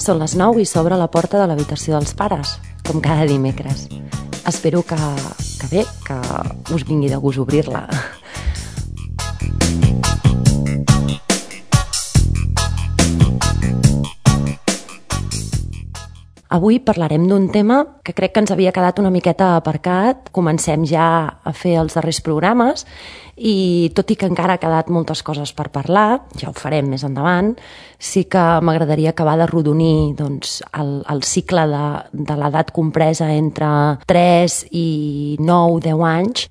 Són les 9 i s'obre la porta de l'habitació dels pares, com cada dimecres. Espero que bé, que us vingui de gust obrir-la. Avui parlarem d'un tema que crec que ens havia quedat una miqueta aparcat. Comencem ja a fer els darrers programes i tot i que encara ha quedat moltes coses per parlar, ja ho farem més endavant, sí que m'agradaria acabar de rodonir el cicle de l'edat compresa entre 3 i 9-10 anys,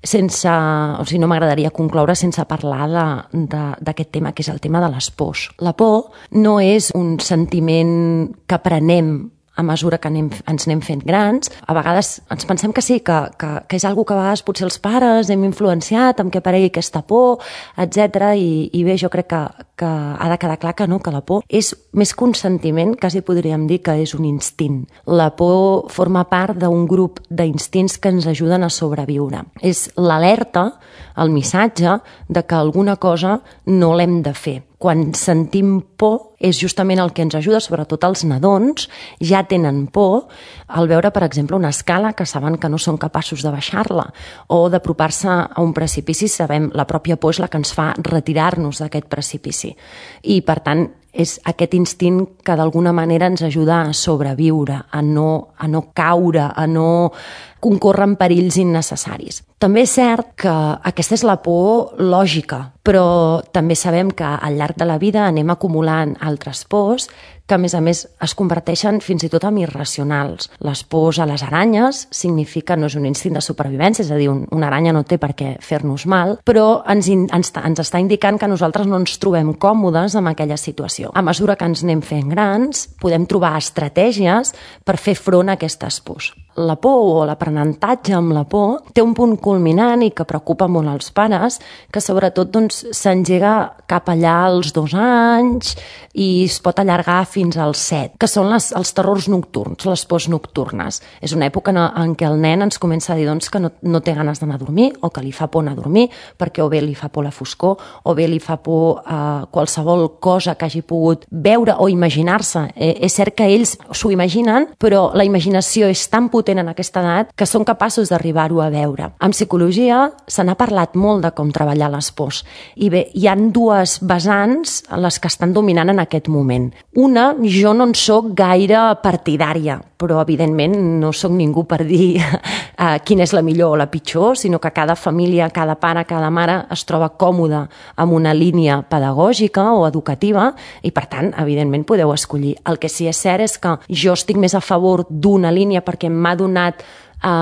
no m'agradaria concloure sense parlar d'aquest tema, que és el tema de les pors. La por no és un sentiment que prenem a mesura que ens anem fent grans. A vegades ens pensem que sí, que és algo que a vegades potser els pares hem influenciat amb què aparegui aquesta por, etc. I bé, jo crec que ha de quedar clar que no, que la por és més que un sentiment, quasi podríem dir que és un instint. La por forma part d'un grup d'instints que ens ajuden a sobreviure. És l'alerta, el missatge de que alguna cosa no l'hem de fer. Quan sentim por és justament el que ens ajuda, sobretot els nadons ja tenen por al veure, per exemple, una escala que saben que no són capaços de baixar-la, o d'apropar-se a un precipici. Sabem, la pròpia por és la que ens fa retirar-nos d'aquest precipici. I, per tant, és aquest instint que d'alguna manera ens ajuda a sobreviure, a no caure, a no concórrer en perills innecessaris. També és cert que aquesta és la por lògica, però també sabem que al llarg de la vida anem acumulant altres pors que, a més, es converteixen fins i tot en irracionals. Les pors a les aranyes significa, no és un instint de supervivència, és a dir, una aranya no té per què fer-nos mal, però ens està indicant que nosaltres no ens trobem còmodes amb aquella situació. A mesura que ens anem fent grans, podem trobar estratègies per fer front a aquestes pors. La por o l'aprenentatge amb la por té un punt culminant i que preocupa molt els pares, que sobretot s'engega cap allà als 2 anys i es pot allargar fins als 7, que són els terrors nocturns, les pors nocturnes. És una època en què el nen ens comença a dir que no té ganes d'anar a dormir, o que li fa por anar a dormir, perquè o bé li fa por la foscor, o bé li fa por qualsevol cosa que hagi pogut veure o imaginar-se. És cert que ells s'ho imaginen, però la imaginació és tan potent en aquesta edat que són capaços d'arribar-ho a veure. En psicologia se n'ha parlat molt de com treballar les pors. I bé, hi ha 2 vessants les que estan dominant en aquest moment. Una, jo no en soc gaire partidària, però evidentment no soc ningú per dir quina és la millor o la pitjor, sinó que cada família, cada pare, cada mare es troba còmode amb una línia pedagògica o educativa i, per tant, evidentment podeu escollir. El que sí és cert és que jo estic més a favor d'una línia perquè m'ha donat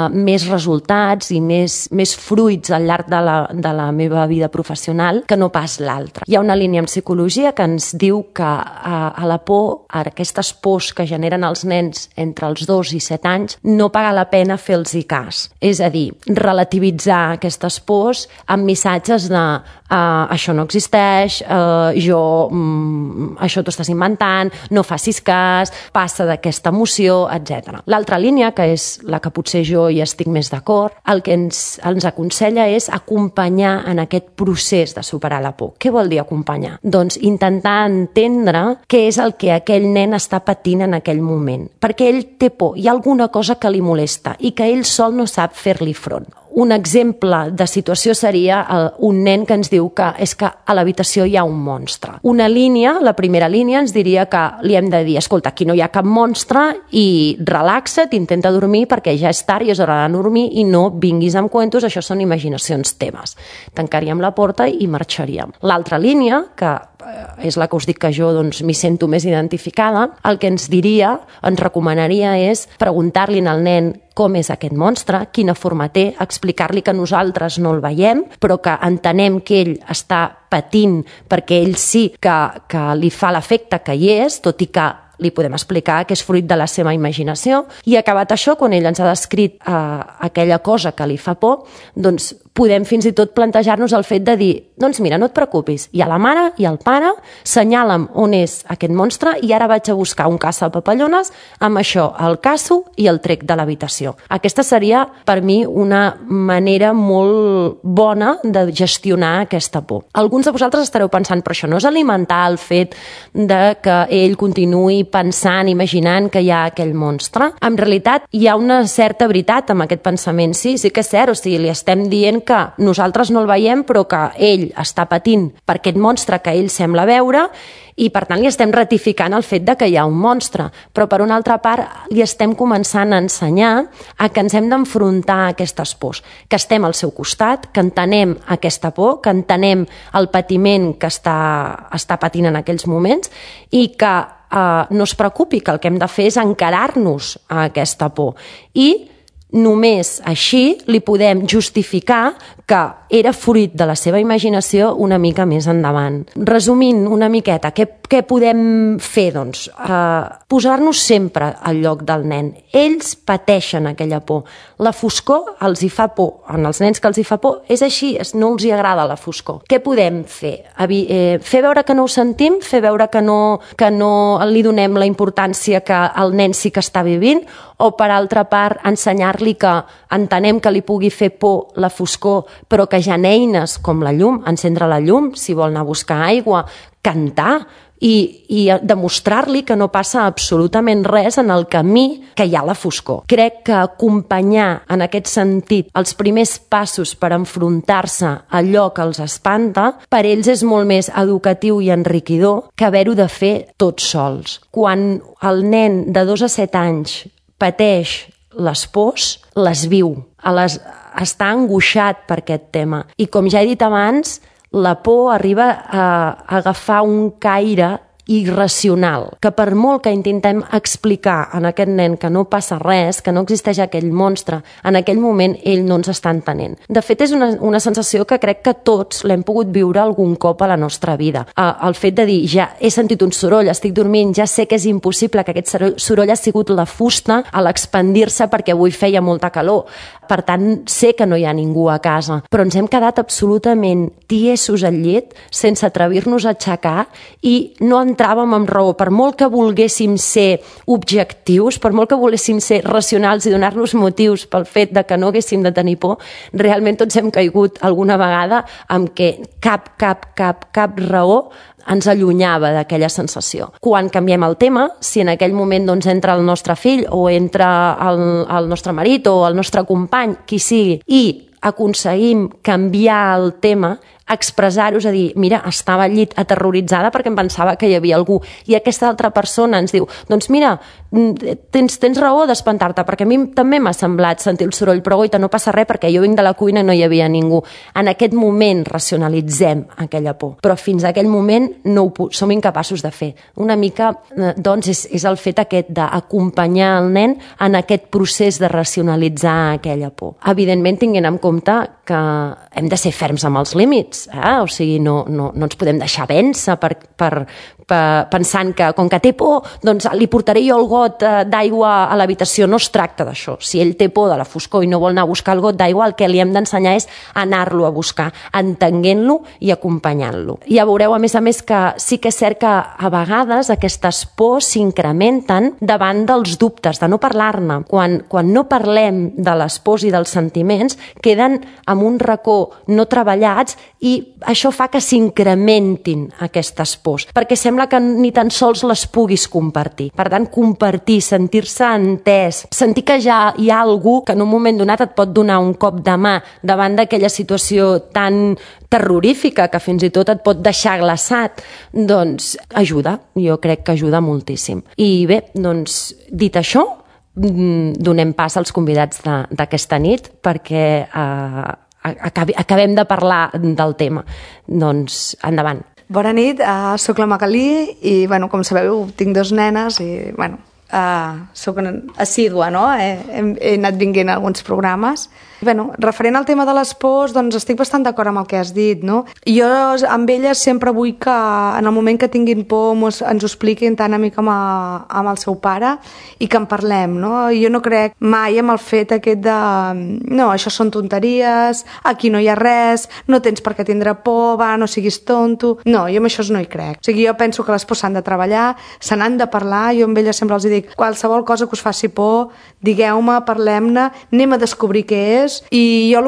més resultats i més fruits al llarg de la meva vida professional que no pas l'altra. Hi ha una línia en psicologia que ens diu que a la por, a aquestes pors que generen els nens entre els 2 i 7 anys, no paga la pena fer-los cas. És a dir, relativitzar aquestes pors amb missatges de això no existeix, això t'ho estàs inventant, no facis cas, passa d'aquesta emoció, etc. L'altra línia, que és la que potser jo hi estic més d'acord, el que ens aconsella és acompanyar en aquest procés de superar la por. Què vol dir acompanyar? Doncs intentar entendre què és el que aquell nen està patint en aquell moment, perquè ell té por, hi ha alguna cosa que li molesta i que ell sol no sap fer-li front. Un exemple de situació seria un nen que ens diu que és que a l'habitació hi ha un monstre. Una línia, la primera línia, ens diria que li hem de dir, escolta, aquí no hi ha cap monstre i relaxa't, intenta dormir perquè ja és tard i és hora de dormir i no vinguis amb cuentos, això són imaginacions teves. Tancaríem la porta i marxaríem. L'altra línia, que és la que us dic que jo m'hi sento més identificada, el que ens diria, ens recomanaria és preguntar-li al nen com és aquest monstre, quina forma té, explicar-li que nosaltres no el veiem, però que entenem que ell està patint perquè ell sí que li fa l'efecte que hi és, tot i que li podem explicar que és fruit de la seva imaginació. I acabat això, quan ell ens ha descrit aquella cosa que li fa por, doncs podem fins i tot plantejar-nos el fet de dir, doncs mira, no et preocupis, hi ha la mare i el pare, senyala'm on és aquest monstre i ara vaig a buscar un caça-papallones, amb això el caço i el trec de l'habitació. Aquesta seria, per mi, una manera molt bona de gestionar aquesta por. Alguns de vosaltres estareu pensant, però això no és alimentar el fet de que ell continuï pensant, imaginant que hi ha aquell monstre. En realitat, hi ha una certa veritat amb aquest pensament. Sí que és cert, o sigui, li estem dient que nosaltres no el veiem, però que ell està patint per aquest monstre que ell sembla veure, i per tant li estem ratificant el fet de que hi ha un monstre, però per una altra part li estem començant a ensenyar a que ens hem d'enfrontar a aquestes pors, que estem al seu costat, que entenem aquesta por, que entenem el patiment que està patint en aquells moments i que no es preocupi, que el que hem de fer és encarar-nos a aquesta por i només així li podem justificar que era fruit de la seva imaginació una mica més endavant. Resumint una miqueta, què podem fer? Doncs posar-nos sempre al lloc del nen. Ells pateixen aquella por. La foscor els hi fa por. En els nens que els hi fa por és així, no els hi agrada la foscor. Què podem fer? Fer veure que no ho sentim? Fer veure que no li donem la importància que el nen sí que està vivint? O, per altra part, ensenyar-li que entenem que li pugui fer por la foscor, però que hi ha eines com la llum, encendre la llum, si vol anar a buscar aigua, cantar, i demostrar-li que no passa absolutament res en el camí que hi ha la foscor. Crec que acompanyar en aquest sentit els primers passos per enfrontar-se a allò que els espanta, per ells és molt més educatiu i enriquidor que haver-ho de fer tots sols. Quan el nen de 2 a 7 anys pateix les pors, les viu, està angoixat per aquest tema. I com ja he dit abans, la por arriba a agafar un caire irracional, que per molt que intentem explicar a aquest nen que no passa res, que no existeix aquell monstre, en aquell moment ell no ens està entenent. De fet, és una sensació que crec que tots l'hem pogut viure algun cop a la nostra vida. El fet de dir, ja he sentit un soroll, estic dormint, ja sé que és impossible que aquest soroll ha sigut la fusta a l'expandir-se perquè avui feia molta calor. Per tant, sé que no hi ha ningú a casa, però ens hem quedat absolutament tiesos al llit, sense atrevir-nos a aixecar, i no entràvem amb raó. Per molt que volguéssim ser objectius, per molt que volguéssim ser racionals i donar-nos motius pel fet de que no haguéssim de tenir por, realment tots hem caigut alguna vegada amb que cap raó ens allunyava d'aquella sensació. Quan canviem el tema, si en aquell moment entra el nostre fill o entra el nostre marit o el nostre company, qui sigui, i aconseguim canviar el tema, expressar-ho, és a dir, mira, estava al llit aterroritzada perquè em pensava que hi havia algú, i aquesta altra persona ens diu, doncs mira, tens raó d'espantar-te, perquè a mi també m'ha semblat sentir el soroll, però goita, no passa res perquè jo vinc de la cuina i no hi havia ningú. En aquest moment racionalitzem aquella por, però fins a aquell moment no som incapaços de fer. Una mica, doncs, és el fet aquest d'acompanyar el nen en aquest procés de racionalitzar aquella por. Evidentment, tinguent en compte que hem de ser ferms amb els límits, o sigui, no ens podem deixar vèncer pensant que com que té por, doncs li portaré jo el got d'aigua a l'habitació. No es tracta d'això. Si ell té por de la foscor i no vol anar a buscar el got d'aigua, el que li hem d'ensenyar és anar-lo a buscar, entenent-lo i acompanyant-lo. Ja veureu, a més, que sí que és cert que a vegades aquestes pors s'incrementen davant dels dubtes, de no parlar-ne. Quan no parlem de les pors i dels sentiments, queden en un racó no treballats, i això fa que s'incrementin aquestes pors, perquè sembla que ni tan sols les puguis compartir. Per tant, compartir, sentir-se entès, sentir que ja hi ha algú que en un moment donat et pot donar un cop de mà davant d'aquella situació tan terrorífica que fins i tot et pot deixar glaçat, doncs ajuda, jo crec que ajuda moltíssim. I bé, doncs, dit això, donem pas als convidats d'aquesta nit perquè acabem de parlar del tema. Doncs, endavant. Bona nit, soc la Magalí i, com sabeu, tinc 2 nenes i, soc assídua, no? He anat vinguent a alguns programes. Referent al tema de les pors, doncs estic bastant d'acord amb el que has dit, no? Jo amb elles sempre vull que en el moment que tinguin por ens ho expliquin tant a mi com amb el seu pare i que en parlem, no? Jo no crec mai amb el fet aquest de no, això són tonteries, aquí no hi ha res, no tens per què tindre por, va, no siguis tonto. No, jo amb això no hi crec. O sigui, jo penso que les pors s'han de treballar, se n'han de parlar, jo amb elles sempre els dic, qualsevol cosa que us faci por, digueu-me, parlem-ne, anem a descobrir què és, és, i jo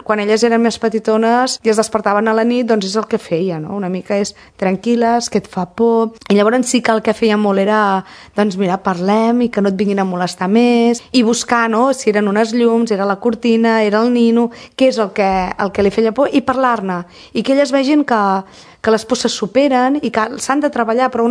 quan elles eren més petitones i es despertaven a la nit, doncs és el que feia, no? Una mica és tranquil·les, que et fa por, i llavors sí que el que feia molt era, doncs mira, parlem i que no et vinguin a molestar més, i buscar, no?, si eren unes llums, era la cortina, era el nino, què és el que li feia por, i parlar-ne, i que elles vegin que les pors se superen i que s'han de treballar, però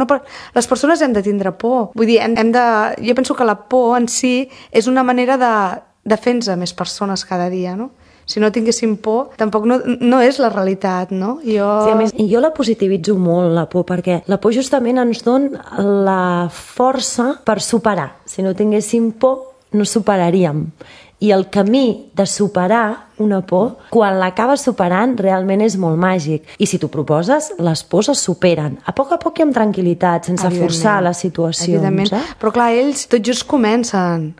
les persones hem de tindre por. Vull dir, jo penso que la por en si és una manera de fer-nos més persones cada dia, no? Si no tinguéssim por, tampoc no és la realitat, no? Sí, a més, jo la positivitzo molt, la por, perquè la por justament ens dona la força per superar. Si no tinguéssim por, no superaríem. I el camí de superar una por, quan l'acabes superant, realment és molt màgic. I si t'ho proposes, les pors es superen. A poc i amb tranquil·litat, sense forçar les situacions. Evidentment. Però clar, ells tot just comencen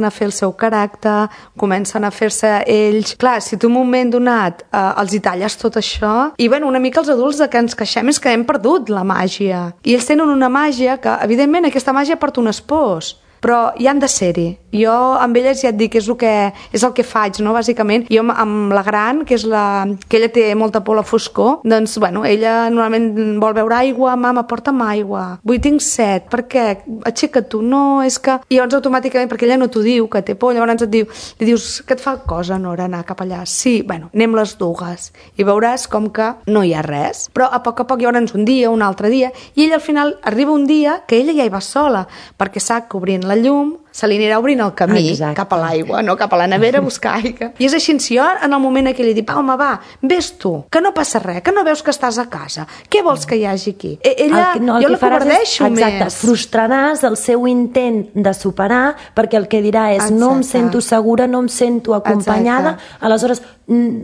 a fer el seu caràcter, comencen a fer-se ells. Clar, si tu en un moment donat els hi talles tot això, i bueno, una mica els adults de que ens queixem és que hem perdut la màgia. I ells tenen una màgia que, evidentment, aquesta màgia porta unes pors, però hi han de ser-hi. Jo amb elles ja et dic, és el que faig, no?, bàsicament. Jo amb la gran, que ella té molta por a la foscor, doncs, bueno, ella normalment vol beure aigua, mama, porta'm aigua, tinc set, per què? Aixeca't tu, no, és que... I llavors automàticament, perquè ella no t'ho diu, que té por, llavors li dius, que et fa cosa, Nora, anar cap allà? Sí, bueno, anem les dues, i veuràs com que no hi ha res. Però a poc llavors un dia, un altre dia, i ella al final arriba un dia que ella ja hi va sola, perquè sap que obrint la llum se li anirà obrint el camí cap a l'aigua, no cap a la nevera a buscar aigua. I és així, si jo en el moment aquell li dic, home, va, vés tu, que no passa res, que no veus que estàs a casa, què vols que hi hagi aquí? Ella, jo la covardeixo més. Exacte, frustraràs el seu intent de superar, perquè el que dirà és no em sento segura, no em sento acompanyada, aleshores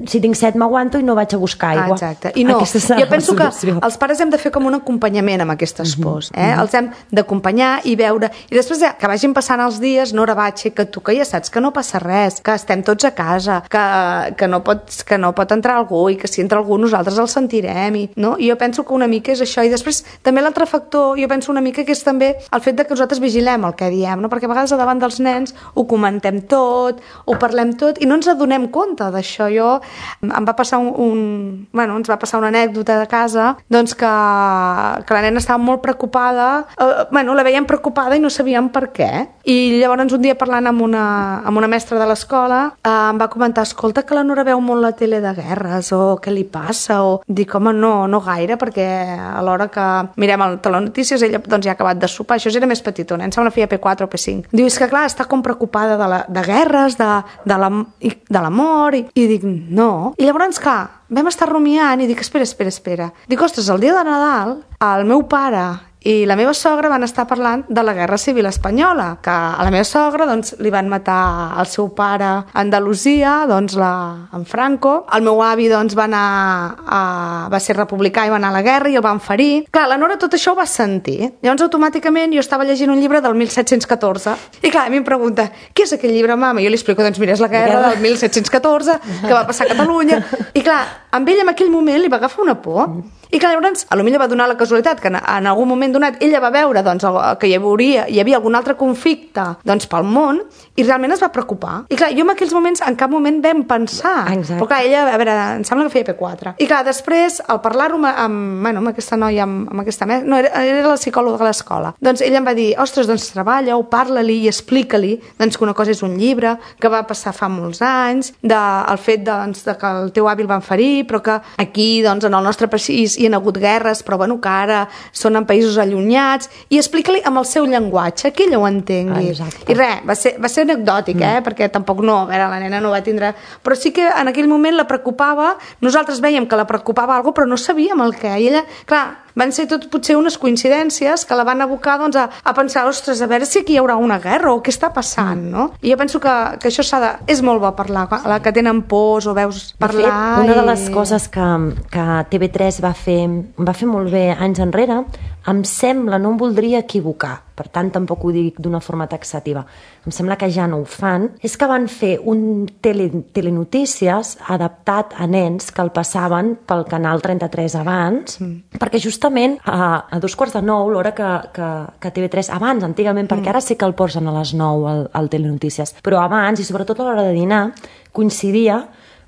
si tinc set m'aguanto i no vaig a buscar aigua. Exacte, i no, jo penso que els pares hem de fer com un acompanyament amb aquestes pors, els hem d'acompanyar i veure, i després que vagin passant els dies, Nora, va, aixeca't tu, que ja saps que no passa res, que estem tots a casa, que no pot entrar algú i que si entra algú nosaltres el sentirem, no? I jo penso que una mica és això, i després també l'altre factor, jo penso una mica que és també el fet de que nosaltres vigilem el que diem, no? Perquè a vegades davant dels nens ho comentem tot, ho parlem tot i no ens adonem compte d'això. Em va passar ens va passar una anècdota de casa, doncs que la nena estava molt preocupada, la veiem preocupada i no sabíem per què. I llavors un dia parlant amb una mestra de l'escola em va comentar, escolta, que la Nora veu molt la tele de guerres, o què li passa, o dic, home, no gaire, perquè a l'hora que mirem el telenotícies ella doncs ja ha acabat de sopar, això era més petitona, em sembla que feia P4 o P5. Diu, és que clar, està com preocupada de guerres, de l'amor, i dic, no. I llavors, clar, vam estar rumiant i dic, espera. Dic, ostres, el dia de Nadal, el meu pare i la meva sogra van estar parlant de la Guerra Civil Espanyola, que a la meva sogra doncs, li van matar el seu pare a Andalusia, doncs, en Franco. El meu avi doncs, va ser republicà i va anar a la guerra i el van ferir. Clar, la Nora tot això ho va sentir. Llavors, automàticament, jo estava llegint un llibre del 1714 i clar, a mi em pregunta, què és aquell llibre, mama? I jo li explico, doncs mira, és la guerra del 1714 que va passar a Catalunya. I clar, amb ell en aquell moment li va agafar una por. I clar, llavors, potser va donar la casualitat que en algun moment donat ella va veure doncs, que hi havia algun altre conflicte doncs, pel món i realment es va preocupar. I clar, jo en aquells moments en cap moment vam pensar. Exacte. Però clar, ella, a veure, em sembla que feia P4. I clar, després, al parlar-ho amb aquesta noia, amb aquesta mestra, no, era la psicòloga de l'escola, doncs ella em va dir, ostres, doncs treballa-ho, parla-li i explica-li doncs, que una cosa és un llibre, que va passar fa molts anys, el fet doncs, de que el teu avi el van ferir, però que aquí, doncs, en el nostre país hi ha hagut guerres, però bueno, que ara són en països allunyats, i explica-li amb el seu llenguatge, que ella ho entengui. Exacte. I res, va ser anecdòtic, perquè tampoc no, a veure, la nena no va tindre... Però sí que en aquell moment la preocupava, nosaltres vèiem que la preocupava alguna cosa, però no sabíem el què. I ella, clar, van ser tot potser unes coincidències que la van abocar doncs, a pensar, ostres, a veure si aquí hi haurà una guerra o què està passant, no? I jo penso que això és molt bo parlar, la que tenen pors o veus parlar... De fet, una de les coses que TV3 va fer molt bé anys enrere, em sembla, no em voldria equivocar, per tant tampoc ho dic d'una forma taxativa, em sembla que ja no ho fan, és que van fer un telenotícies adaptat a nens que el passaven pel canal 33 abans, perquè justament a 8:45, l'hora que TV3, abans, antigament, perquè ara sí que el posen a les 9 al telenotícies, però abans, i sobretot a l'hora de dinar, coincidia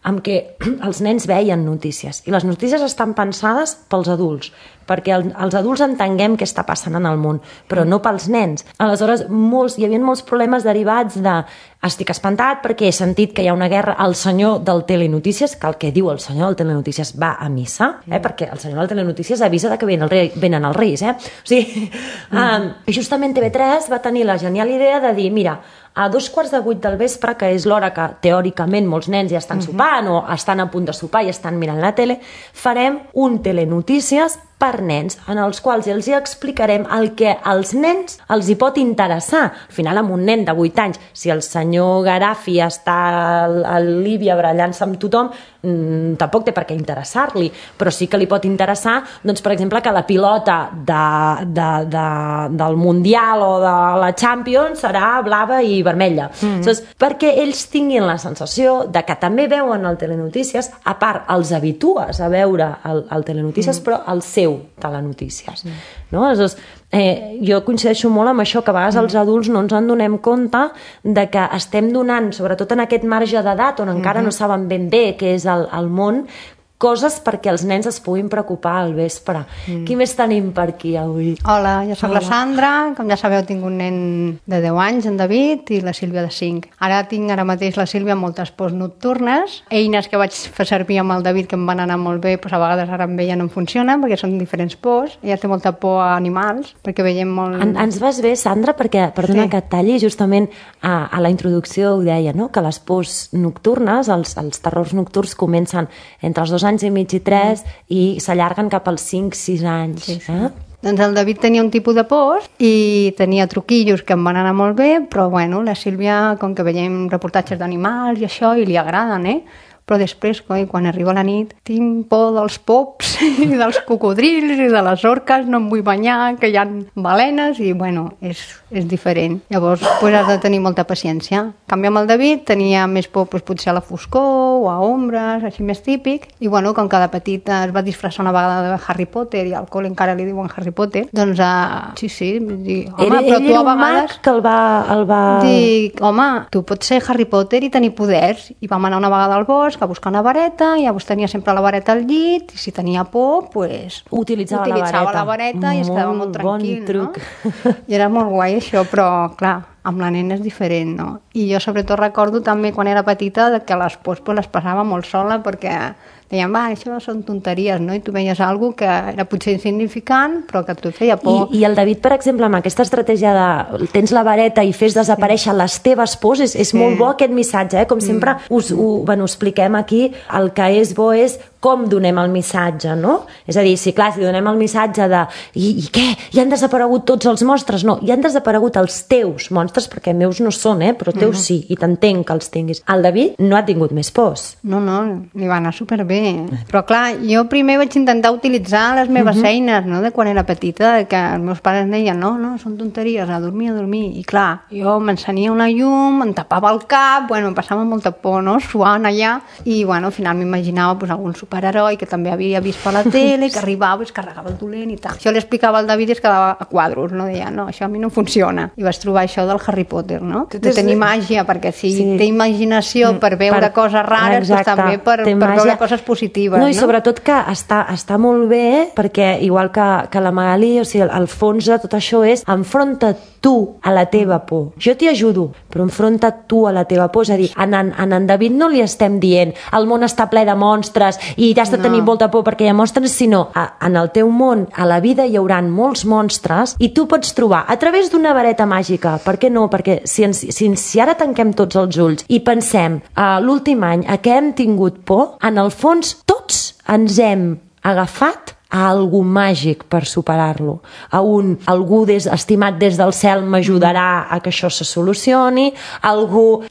amb que els nens veien notícies i les notícies estan pensades pels adults perquè els adults entenguem què està passant en el món, però no pels nens. Aleshores, hi havia molts problemes derivats de estic espantat perquè he sentit que hi ha una guerra. El senyor del Telenotícies, que el que diu el senyor del Telenotícies va a missa, perquè el senyor del Telenotícies avisa que venen els reis. O sigui, justament TV3 va tenir la genial idea de dir, mira, a 7:15 del vespre, que és l'hora que teòricament molts nens ja estan sopant o estan a punt de sopar i estan mirant la tele, farem un Telenotícies per nens, en els quals els hi explicarem el que als nens els hi pot interessar. Al final, amb un nen de 8 anys, si el senyor Garafi està a Líbia barallant-se amb tothom, tampoc té per què interessar-li, però sí que li pot interessar, doncs, per exemple, que la pilota del Mundial o de la Champions serà blava i vermella. Perquè ells tinguin la sensació de que també veuen el Telenotícies, a part, els habitues a veure el Telenotícies, però el seu Telenotícies. Aleshores, jo coincideixo molt amb això, que a vegades els adults no ens en donem compte de que estem donant, sobretot en aquest marge d'edat on encara no saben ben bé què és el món, coses perquè els nens es puguin preocupar al vespre. Qui més tenim per aquí avui? Hola, jo soc la Sandra. Com ja sabeu, tinc un nen de 10 anys, en David, i la Sílvia de 5. Ara mateix la Sílvia moltes pors nocturnes, eines que vaig fer servir amb el David que em van anar molt bé, doncs a vegades ara amb ella no em funcionen perquè són diferents pors. Ella té molta por a animals, perquè veiem molt... Ens vas bé, Sandra, perquè, perdona que et talli, justament a la introducció ho deia, no? Que les pors nocturnes, els terrors nocturns comencen entre els 2 anys i mig i 3 i s'allarguen cap als 5-6 anys. Sí. Doncs el David tenia un tipus de pors i tenia truquillos que em van anar molt bé, però bueno, la Sílvia, com que veiem reportatges d'animals i això, i li agraden, però després, quan arriba la nit, tinc por dels pops i dels cocodrils i de les orques, no em vull banyar, que hi ha balenes, i bueno, és diferent. Llavors, has de tenir molta paciència. En canvi, amb el David tenia més por potser a la foscor o a ombres, així més típic, i bueno, com que de petit es va disfressar una vegada de Harry Potter i al col·le encara li diuen Harry Potter, doncs sí, dir, home, però tu a vegades... que el va... Dic, home, tu pots ser Harry Potter i tenir poders, i vam anar una vegada al bosc a buscar una vareta, i llavors tenia sempre la vareta al llit, i si tenia por, pues... Utilitzava la vareta i es quedava molt tranquil, bon truc. No? I era molt guai això, però clar, amb la nena és diferent, no? I jo sobretot recordo també quan era petita que les pors les passava molt sola perquè deien, això són tonteries, no? I tu veies alguna que era potser insignificant, però que et feia por. I el David, per exemple, amb aquesta estratègia de tens la vareta i fes desaparèixer les teves pors, és molt bo aquest missatge, com sempre ho expliquem aquí, el que és bo és com donem el missatge, no? És a dir, si donem el missatge de i què? Ja han desaparegut tots els monstres? No, ja han desaparegut els teus monstres, perquè meus no són, però teus sí, i t'entenc que els tinguis. El David no ha tingut més pors. No, li va anar superbé. Però clar, jo primer vaig intentar utilitzar les meves eines, no?, de quan era petita, que els meus pares deien, no, són tonteries, a dormir. I clar, jo m'encenia una llum, em tapava el cap, em passava molta por, no?, suant allà, i al final m'imaginava algun superheroi que també havia vist per la tele, que arribava i es carregava el dolent i tal. Això li explicava al David i es quedava a quadros, no? Deia, no, això a mi no funciona. I vaig trobar això del Harry Potter, no? De tenir màgia, perquè si té imaginació per veure coses rares, doncs també per veure coses positives, no? I sobretot que està molt bé, perquè igual que la Magali, o sigui, el fons de tot això és enfronta't tu a la teva por. Jo t'hi ajudo, però enfronta't tu a la teva por. És a dir, en David no li estem dient el món està ple de monstres i has de tenir molta por perquè hi ha monstres, sinó en el teu món, a la vida hi haurà molts monstres i tu pots trobar a través d'una vareta màgica. Per què no? Perquè si ara tanquem tots els ulls i pensem l'últim any a què hem tingut por, en el fons tots ens hem agafat a algú màgic per superar-lo, algú estimat des del cel m'ajudarà a que això se solucioni,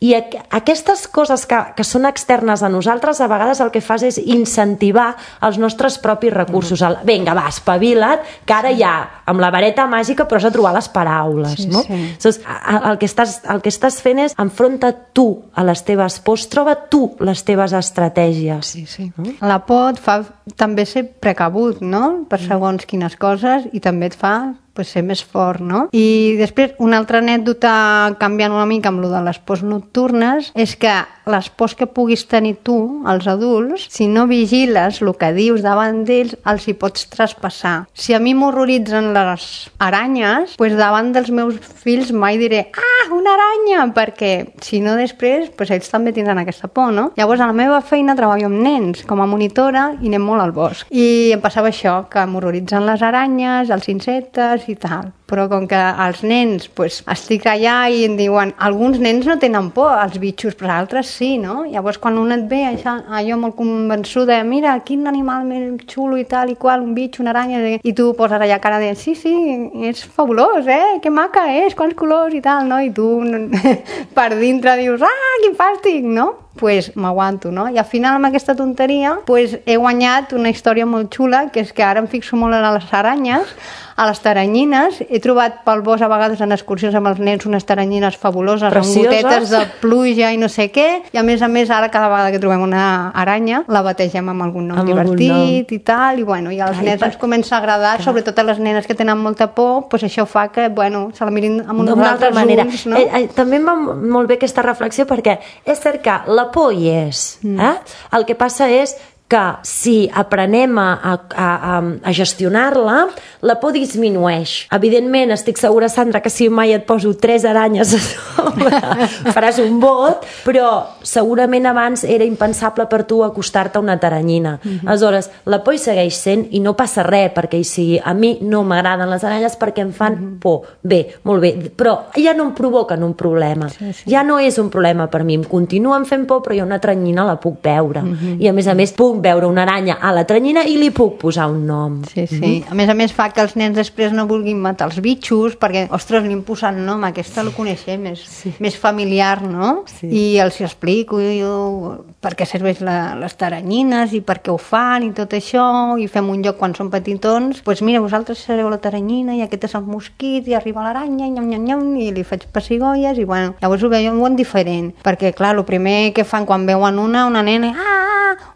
i aquestes coses que són externes a nosaltres, a vegades el que fas és incentivar els nostres propis recursos. Vinga, va, espavila't, que ara ja amb la vareta màgica però has de trobar les paraules, no? El que estàs fent és enfronta't tu a les teves pors, troba tu les teves estratègies. La por et fa també ser precabut, no?, per segons quines coses, i també et fa pues, ser més fort, no? I després, una altra anècdota canviant una mica amb lo de les pors nocturnes és que les pors que puguis tenir tu, els adults, si no vigiles el que dius davant d'ells, els hi pots traspassar. Si a mi m'horroritzen les aranyes, pues davant dels meus fills mai diré una aranya, perquè si no després pues ells també tindran aquesta por, no? Llavors a la meva feina treballo amb nens com a monitora i anem molt al bosc. I em passava això, que m'horroritzen les aranyes, els insectes i tal. Però com que els nens, pues, estic allà i em diuen, alguns nens no tenen por als bitxos, però altres sí, no? Llavors quan un et ve, allò molt convençuda, mira, quin animal més xulo i tal i qual, un bitx, una aranya, i tu poses allà cara de, sí, és fabulós, que maca és, quants colors i tal, no? I tu per dintre dius, quin fàstic, no? Pues m'aguanto, no? I al final amb aquesta tonteria pues he guanyat una història molt xula, que és que ara em fixo molt a les aranyes, a les taranyines. He trobat pel bosc a vegades en excursions amb els nens unes taranyines fabuloses, precioses, amb gotetes de pluja i no sé què, i a més ara cada vegada que trobem una aranya la bategem amb algun nom divertit i tal, i bueno, i als nens ens comença a agradar, sobretot a les nenes que tenen molta por, pues això fa que, bueno, se la mirin amb uns altres ulls, no? També em va molt bé aquesta reflexió, perquè és cert que la por hi és. El que passa és que si aprenem a gestionar-la, la por disminueix. Evidentment, estic segura, Sandra, que si mai et poso 3 aranyes a sobre, faràs un bot, però segurament abans era impensable per tu acostar-te a una taranyina. Aleshores, la por hi segueix sent i no passa res perquè hi sigui. A mi no m'agraden les aranyes perquè em fan por. Bé, molt bé, però ja no em provoquen un problema. Ja no és un problema per mi. Em continuen fent por, però jo una taranyina la puc veure. I a més, puc veure una aranya a la taranyina i li puc posar un nom. Sí. A més fa que els nens després no vulguin matar els bitxos, perquè, ostres, li hem posat nom, aquesta lo coneixem, més familiar, no? I els explico per què serveix les taranyines i per què ho fan i tot això, i fem un lloc quan són petitons, doncs mira, vosaltres sereu la taranyina i aquest és el mosquit i arriba l'aranya i li faig pessigolles i bueno, llavors ho veuen diferent, perquè clar, el primer que fan quan veuen una nena,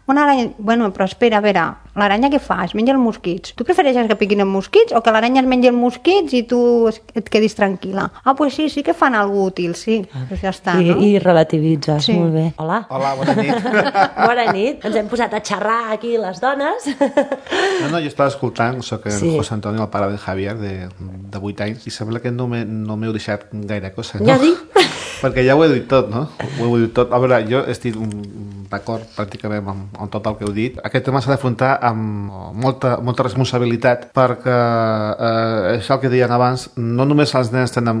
una aranya, bueno, però espera, a veure, l'aranya què fa? Es menja els mosquits. Tu prefereixes que piquin els mosquits o que l'aranya es mengi els mosquits i tu et quedis tranquil·la? Pues sí que fan alguna útil, sí. Pues ja està, no? I relativitzes, molt bé. Hola, bona nit. Bona nit. Ens hem posat a xerrar aquí les dones. No, jo estava escoltant, soc en José Antonio, el pare de Javier, de 8 anys, i sembla que no m'heu deixat gaire cosa, no? Ja dic. Perquè ja ho he dit tot, no? Ho he dit tot. A veure, jo estic d'acord pràcticament amb tot el que heu dit. Aquest tema s'ha d'afrontar amb molta responsabilitat, perquè és el que deien abans, no només els nens tenen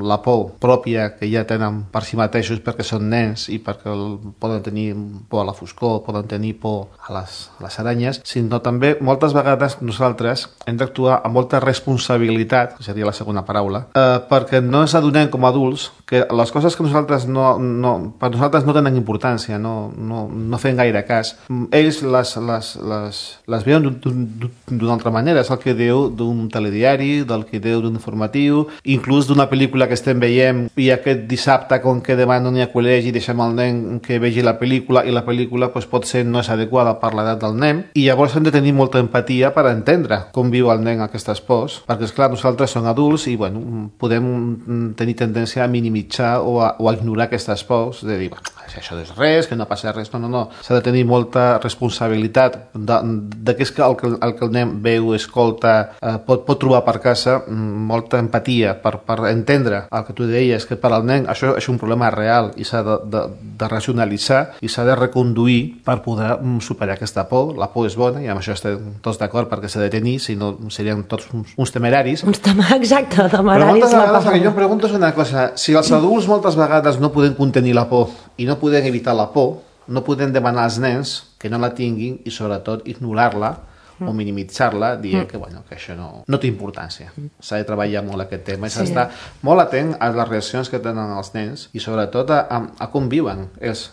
la por pròpia que ja tenen per si mateixos perquè són nens i perquè poden tenir por a la foscor, poden tenir por a les aranyes, sinó també moltes vegades nosaltres hem d'actuar amb molta responsabilitat, que seria la segona paraula, perquè no ens adonem com a adults que les coses que nosaltres per nosaltres no tenen importància, no fem gaire cas. Ells les veuen d'una altra manera. És el que diu d'un telediari, del que diu d'un informatiu, inclús d'una pel·lícula que estem veient i aquest dissabte, com que demà no n'hi ha col·legi, deixem el nen que vegi la pel·lícula i la pel·lícula potser no és adequada per l'edat del nen, i llavors hem de tenir molta empatia per entendre com viu el nen aquestes pors, perquè esclar, nosaltres som adults i podem tenir tendència a minimitzar o a ignorar aquestes pors, de dir, això no és res, que no passa res, no. S'ha de tenir molta responsabilitat de que és que el que el nen veu, escolta, pot trobar per casa, molta empatia per entendre el que tu deies, que per al nen això és un problema real i s'ha de racionalitzar i s'ha de reconduir per poder superar aquesta por. La por és bona i amb això estem tots d'acord perquè s'ha de tenir, si no serien tots uns temeraris. Exacte, temeraris. Però moltes vegades el que jo em pregunto és una cosa, si els adults moltes vegades no podem contenir la por i no podem evitar la por, no podem demanar als nens que no la tinguin i sobretot ignorar-la o minimitzar-la, dient que això no té importància. S'ha de treballar molt aquest tema i s'ha d'estar molt atent a les reaccions que tenen els nens i sobretot a com viuen les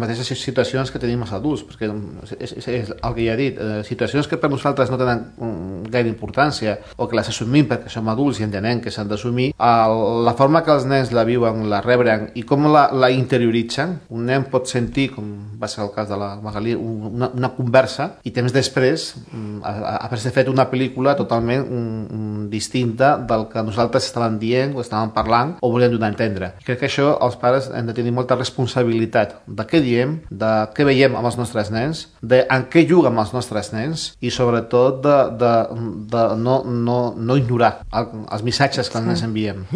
mateixes situacions que tenim els adults, perquè és el que ja he dit, situacions que per nosaltres no tenen gaire importància o que les assumim perquè som adults i entenem que s'han d'assumir, la forma que els nens la viuen, la rebren i com la interioritzen. Un nen pot sentir, com va ser el cas de la Magalí, una conversa i temps després haver-se fet una pel·lícula totalment distinta del que nosaltres estàvem dient o estàvem parlant o volíem donar a entendre. I crec que això els pares hem de tenir molta responsabilitat de què diem, de què veiem amb els nostres nens, de en què juguen amb els nostres nens i sobretot de no ignorar els missatges que els nens enviem.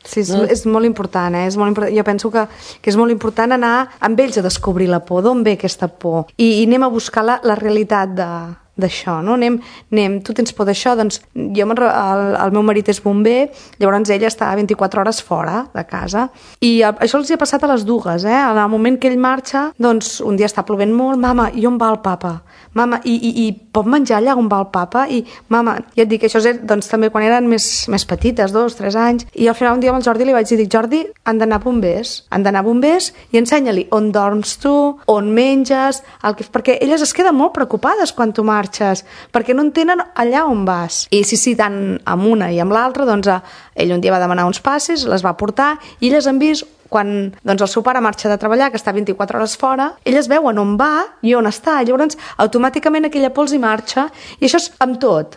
Sí, és molt important, és molt important. Jo penso que és molt important anar amb ells a descobrir la por, d'on ve aquesta por, i anem a buscar la realitat d'això, no? Anem, tu tens por d'això, doncs jo el meu marit és bomber, llavors ell està 24 hores fora de casa, i això els hi ha passat a les dues, en el moment que ell marxa, doncs un dia està plovent molt, mama, i on va el papa? Mama, i pot menjar allà on va el papa? I mama, ja et dic, això és doncs, també quan eren més petites, 2, 3 anys, i al final un dia amb el Jordi li vaig dir, Jordi, han d'anar bombers i ensenya-li on dorms tu, on menges, perquè elles es queden molt preocupades quan tu marxes, perquè no entenen allà on vas. I sí, tant amb una i amb l'altra, doncs ell un dia va demanar uns passes, les va portar, i elles han vist quan doncs, el seu pare marxa de treballar, que està 24 hores fora, elles veuen on va i on està, llavors automàticament aquella por els hi marxa, i això és amb tot.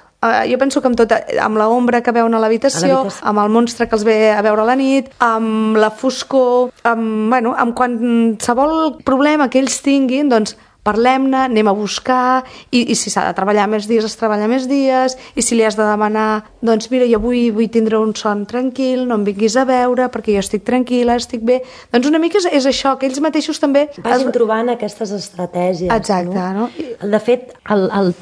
Jo penso que amb tot, amb l'ombra que veuen a l'habitació, amb el monstre que els ve a veure a la nit, amb la foscor, amb qualsevol problema que ells tinguin, doncs parlem-ne, anem a buscar, i si s'ha de treballar més dies, es treballa més dies, i si li has de demanar, doncs mira, jo avui vull tindre un son tranquil, no em vinguis a veure, perquè jo estic tranquil·la, estic bé. Doncs una mica és això, que ells mateixos també vagin trobant aquestes estratègies. Exacte, no? De fet,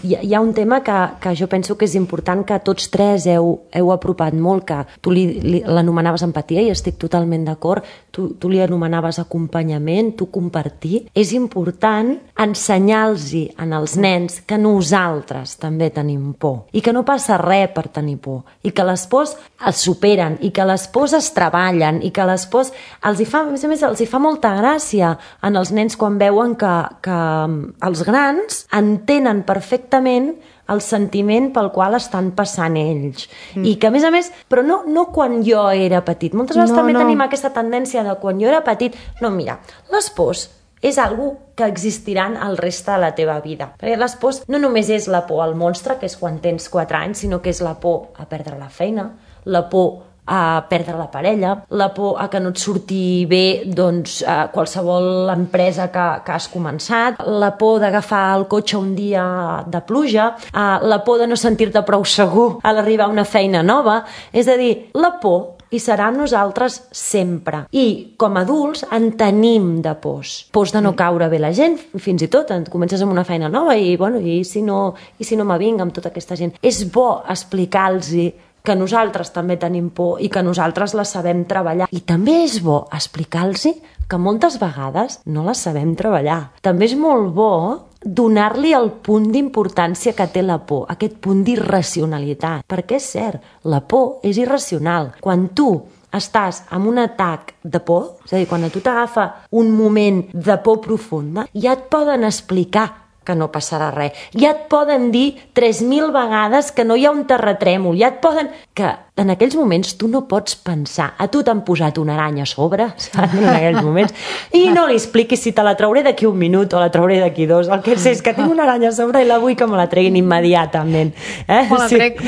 hi ha un tema que jo penso que és important, que tots tres heu apropat molt, que tu l'anomenaves empatia, i estic totalment d'acord, tu li anomenaves acompanyament, tu compartir. És important ensenyar-los als nens que nosaltres també tenim por i que no passa res per tenir por i que les pors es superen i que les pors es treballen i que les pors a més a més els hi fa molta gràcia en els nens quan veuen que els grans entenen perfectament el sentiment pel qual estan passant ells. I que, a més, però no quan jo era petit. Moltes vegades també tenim aquesta tendència de quan jo era petit. No, mira, les pors és algo que existiran el reste de la teva vida. Perquè les pors no només és la por al monstre, que és quan tens 4 anys, sinó que és la por a perdre la feina, la por a perdre la parella, la por a que no et surti bé doncs, qualsevol empresa que has començat, la por d'agafar el cotxe un dia de pluja, la por de no sentir-te prou segur a l'arribar a una feina nova. És a dir, la por hi serà amb nosaltres sempre. I com a adults en tenim de pors. Pors de no caure bé la gent, fins i tot comences amb una feina nova i si no m'avinc amb tota aquesta gent. És bo explicar-los que nosaltres també tenim por i que nosaltres la sabem treballar. I també és bo explicar-los que moltes vegades no la sabem treballar. També és molt bo donar-li el punt d'importància que té la por, aquest punt d'irracionalitat. Perquè és cert, la por és irracional. Quan tu estàs en un atac de por, és a dir, quan a tu t'agafa un moment de por profunda, ja et poden explicar que no passarà res. Ja et poden dir 3.000 vegades que no hi ha un terratrèmol. Ja et poden... que en aquells moments tu no pots pensar. A tu t'han posat una aranya a sobre, saps? En aquells moments. I no li expliquis si te la trauré d'aquí 1 minut o la trauré d'aquí 2. El que sé és que tinc una aranya a sobre i la vull que me la treguin immediatament. Me la trec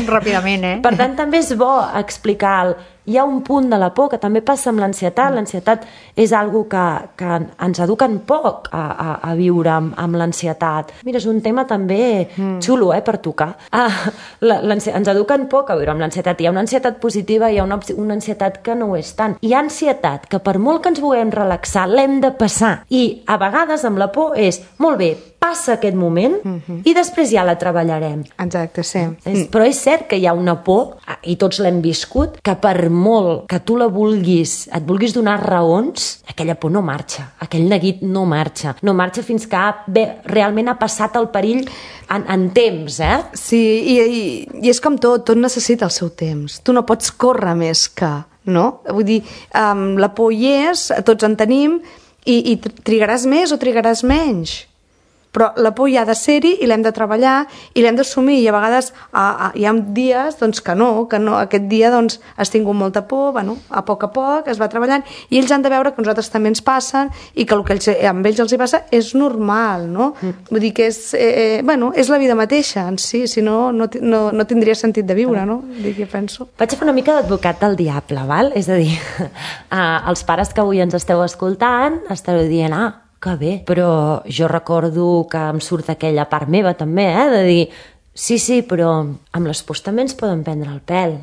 ràpidament, Per tant, també és bo explicar hi ha un punt de la por que també passa amb l'ansietat. L'ansietat és algo que ens eduquen poc a viure amb l'ansietat. Mira, és un tema també xulo per tocar. Ens eduquen poc a viure amb l'ansietat. Hi ha una ansietat positiva i hi ha una ansietat que no ho és tant. Hi ha ansietat que per molt que ens vulguem relaxar l'hem de passar. I a vegades amb la por és, molt bé, passa aquest moment i després ja la treballarem. Exacte, sí. Però és cert que hi ha una por, i tots l'hem viscut, que per molt que tu et vulguis donar raons, aquella por no marxa, aquell neguit no marxa fins que realment ha passat el perill en temps, Sí, i és com tot necessita el seu temps. Tu no pots córrer més que, no? Vull dir, la por hi és, tots en tenim, i trigaràs més o trigaràs menys. però la por hi ha de ser-hi i l'hem de treballar i l'hem d'assumir, i a vegades hi ha dies doncs, que no, aquest dia doncs, has tingut molta por, bueno, a poc es va treballant, i ells han de veure que a nosaltres també ens passen i que el que amb ells els hi passa és normal, no? Vull dir que és la vida mateixa en si, si no tindria sentit de viure, no? Jo penso. Vaig a fer una mica d'advocat del diable, val? És a dir, els pares que avui ens esteu escoltant estareu dient, que bé, però jo recordo que em surt aquella part meva també, de dir, sí, però amb les pors també ens poden prendre el pèl.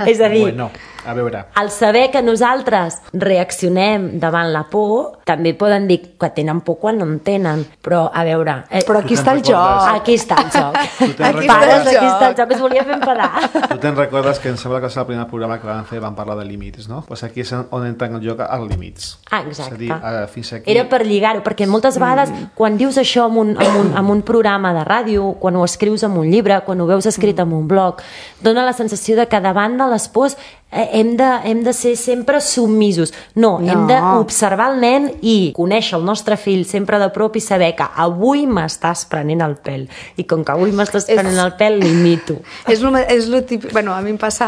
És a dir, bueno, a veure, al saber que nosaltres reaccionem davant la por, també poden dir que tenen por quan no en tenen, però a veure... Però aquí està el joc. Aquí està el joc. Aquí està el joc. Es volia fer enfadar. Tu te'n recordes que em sembla que és el primer programa que vam fer, vam parlar de límits, no? Pues aquí és on entra en el joc els límits. Exacte. És a dir, fins aquí... Era per lligar-ho, perquè moltes vegades quan dius això en un programa de ràdio, quan ho escrius en un llibre, quan ho veus escrit en un blog, dona la sensació de que davant de les pors hem de ser sempre submisos. No, hem d'observar el nen i conèixer el nostre fill sempre de prop i saber que avui m'estàs prenent el pèl. I com que avui m'estàs prenent el pèl, l'imito. És lo típic... Bueno, a mi em passa...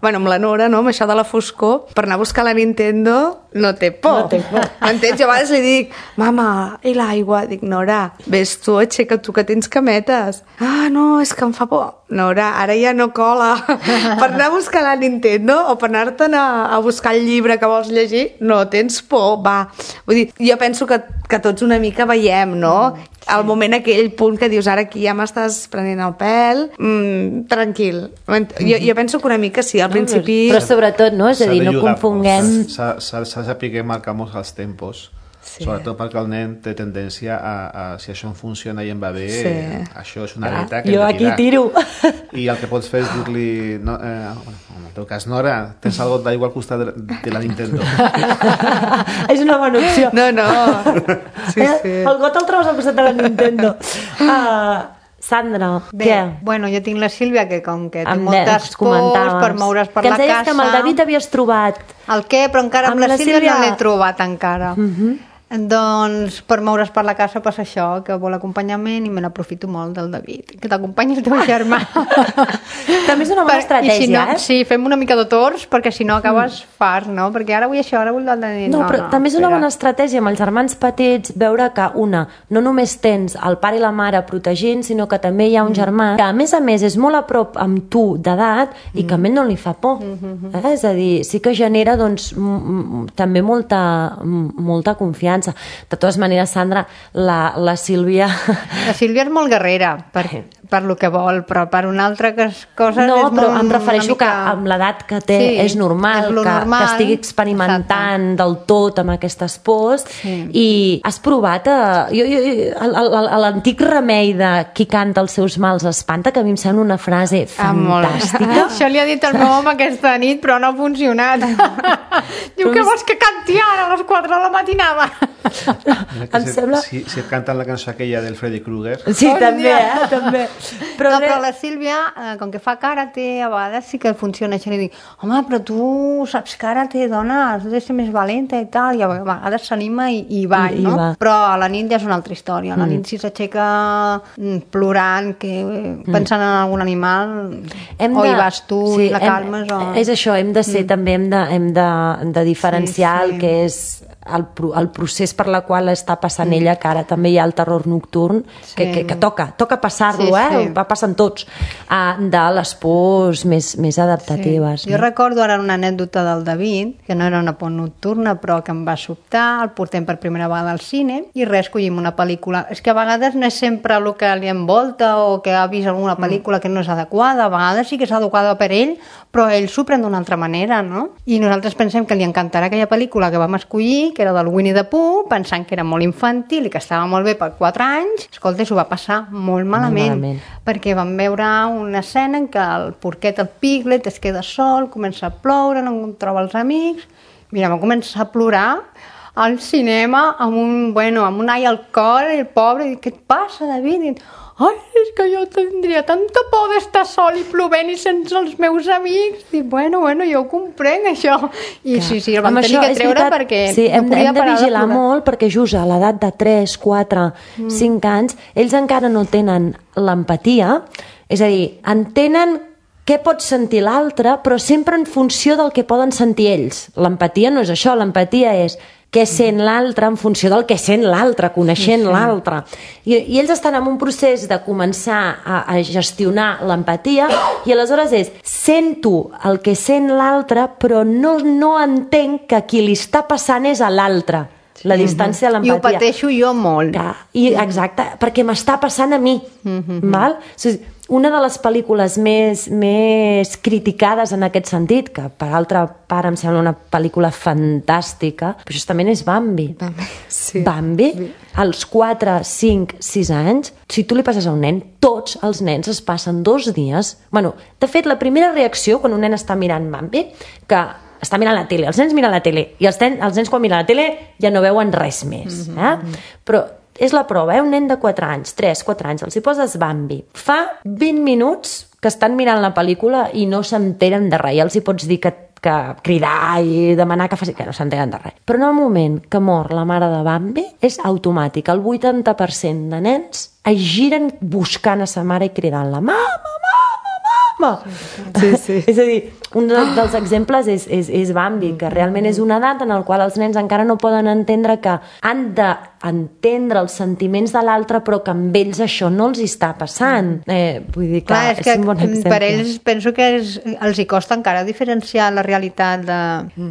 Bueno, amb la Nora, no? Amb això de la foscor, per anar a buscar la Nintendo no té por. No té por. M'entens? Jo a vegades li dic, mama, i l'aigua? Dic, Nora, ves tu, aixeca tu que tens cametes. No, és que em fa por. Nora, ara ja no cola. Per anar a buscar la Nintendo o per anar-te'n a buscar el llibre que vols llegir, no tens por, va. Vull dir, jo penso que tots una mica veiem, no? Al moment aquell punt que dius, ara aquí ja m'estàs prenent el pèl, tranquil. Jo penso que una mica sí, al principi... Però sobretot, no? És a dir, no confonguem... S'ha de saber marcar molts els tempos. Sí. Sobretot perquè el nen té tendència si això funciona i em va bé, això és una aleta que jo aquí tiro. I el que pots fer és dir-li en el teu cas, Nora, tens algo d'aigua al costat de la Nintendo. És una bona opció. No. Sí. El got el trobes al costat de la Nintendo. Sandra, bé, què? Bueno, jo tinc la Sílvia, que com que té moltes pors per moure's per la casa... Que ens deies que amb el David havies trobat... El què? Però encara amb la Sílvia no l'he trobat encara. Doncs per moure's per la casa passa això, que vol acompanyament i me n'aprofito molt del David, que t'acompanyi el teu germà. També és una bona estratègia, Sí, fem una mica de torns, perquè si no acabes fart, no? Perquè ara vull això, ara vull l'altre dia. No, però també és una bona estratègia amb els germans petits veure que no només tens el pare i la mare protegint, sinó que també hi ha un germà que a més és molt a prop amb tu d'edat i que a ell no li fa por. És a dir, sí que genera doncs també molta confiança. De totes maneres, Sandra, la Sílvia... La Sílvia és molt guerrera per lo que vol, però per una altra cosa... No, però em refereixo que amb l'edat que té és normal que estigui experimentant del tot amb aquestes pors i has provat l'antic remei de qui canta els seus mals espanta, que a mi em sembla una frase fantàstica. Això li ha dit el meu home aquesta nit, però no ha funcionat. Diu que vols que canti ara a les 4 de la matinada? Em sembla... Si et canten la cançó aquella del Freddy Krueger... Sí, també, també. Però la Sílvia, com que fa karate, a vegades sí que funciona això. Li dic, home, però tu saps karate, dona, has de ser més valenta i tal, i a vegades s'anima i va, no? Però a la nit ja és una altra història. A la nit si s'aixeca plorant, pensant en algun animal, o hi vas tu i la calmes, o... És això, hem de ser també, hem de diferenciar el que és el procés per la qual està passant ella, que ara també hi ha el terror nocturn, que toca passar-lo, va passant tots, de les pors més adaptatives. Jo recordo ara una anècdota del David, que no era una por nocturna, però que em va sobtar, el portem per primera vegada al cine, i escollim una pel·lícula. És que a vegades no és sempre el que li envolta o que ha vist alguna pel·lícula que no és adequada, a vegades sí que és adequada per ell, però ell s'ho pren d'una altra manera, no? I nosaltres pensem que li encantarà aquella pel·lícula que vam escollir, que era del Winnie the Pooh, pensant que era molt infantil i que estava molt bé per 4 anys. Escolta, s'ho va passar molt malament, perquè vam veure una escena en què el porquet, el Piglet, es queda sol, comença a ploure, no troba els amics. Mira, va començar a plorar. al cinema amb un ai al cor, el pobre, i què et passa, David? I, ai, és que jo tindria tanta por d'estar sol i plovent i sense els meus amics. I bueno, jo ho comprenc, això. I sí, el vam tenir que treure perquè no podia parar de vigilar molt, perquè just a l'edat de 3, 4, 5 anys, ells encara no tenen l'empatia, és a dir, entenen què pot sentir l'altre, però sempre en funció del que poden sentir ells. L'empatia no és això, l'empatia és què sent l'altre en funció del que sent l'altre, coneixent l'altre. I ells estan en un procés de començar a gestionar l'empatia i aleshores sento el que sent l'altre, però no entenc que qui li està passant és a l'altre. La distància de l'empatia. I ho pateixo jo molt. Exacte, perquè m'està passant a mi. Val? O sigui, una de les pel·lícules més criticades en aquest sentit, que per altra part em sembla una pel·lícula fantàstica, però justament és Bambi. Bambi, als 4, 5, 6 anys, si tu li passes a un nen, tots els nens es passen 2 dies... Bueno, de fet, la primera reacció quan un nen està mirant Bambi, que està mirant la tele, els nens miren la tele, i els nens quan miren la tele ja no veuen res més. Però és la prova, un nen de 4 anys, 3, 4 anys, els hi poses Bambi. Fa 20 minuts que estan mirant la pel·lícula i no s'enteren de res. Ja els hi pots dir que cridar i demanar que faci... que no s'entenen de res. Però en el moment que mor la mare de Bambi és automàtic. El 80% de nens es giren buscant a sa mare i cridant-la mama. Sí. És a dir, un dels exemples és Bambi, que realment és una edat en la qual els nens encara no poden entendre que han d'entendre els sentiments de l'altre, però que amb ells això no els està passant. Vull dir, clar, és un bon exemple. Per ells penso que els hi costa encara diferenciar la realitat de...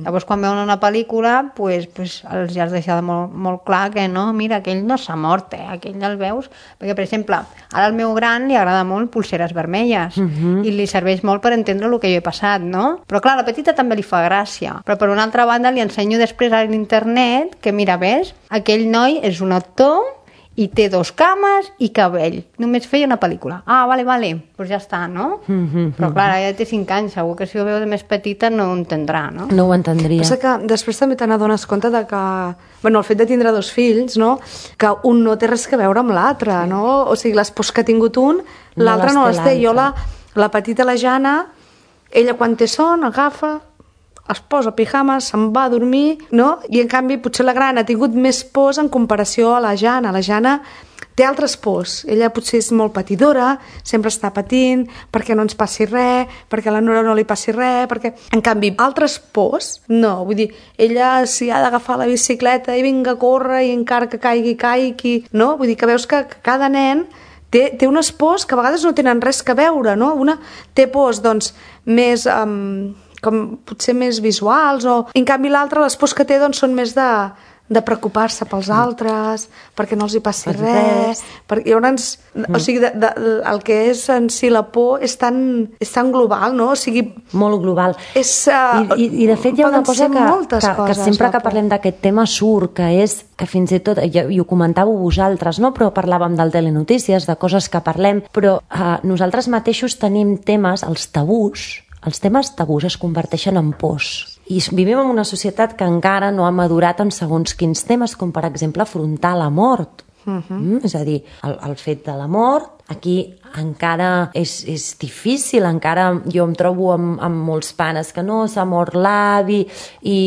Llavors, quan veuen una pel·lícula, pues els has deixat molt clar que no, mira, aquell no s'ha mort, aquell el veus... Perquè, per exemple, ara al meu gran li agrada molt pulseres vermelles i li serveix molt per entendre el que jo he passat, no? Però clar, a la petita també li fa gràcia. Però per una altra banda li ensenyo després a l'internet que, mira, ves, aquell noi és un actor i té 2 cames i cabell. Només feia una pel·lícula. Ah, vale, doncs ja està, no? Però clar, ja té 5 anys, segur que si ho veu de més petita no ho entendrà, no? No ho entendria. Passa que després també te n'adones compte de que, bueno, el fet de tindre 2 fills, no? Que un no té res que veure amb l'altre, no? O sigui, les pors que ha tingut un, l'altre no les té. Jo la petita, la Jana, ella quan té son agafa, es posa pijames, se'n va a dormir, no? I en canvi potser la gran ha tingut més pors en comparació a la Jana. La Jana té altres pors. Ella potser és molt patidora, sempre està patint perquè no ens passi res, perquè a la Nora no li passi res, perquè... En canvi, altres pors, no. Vull dir, ella si ha d'agafar la bicicleta i vinga a córrer i encara que caigui, no? Vull dir que veus que cada nen té unes pors que a vegades no tenen res que veure, no? Una té pors, doncs, més... com potser més visuals, en canvi l'altra, les pors que té, doncs, són més de preocupar-se pels altres, perquè no els hi passi res. Llavors, o sigui, el que és en si la por és tan global, no? O sigui... Molt global. I de fet hi ha una cosa que sempre que parlem d'aquest tema surt, que és que fins i tot, i ho comentàveu vosaltres, no? Però parlàvem del telenotícies, de coses que parlem, però nosaltres mateixos tenim temes, els temes tabús es converteixen en pors. I vivim en una societat que encara no ha madurat en segons quins temes, com per exemple afrontar la mort. És a dir, el fet de la mort, aquí encara és difícil, encara jo em trobo amb molts pares que no, s'ha mort l'avi i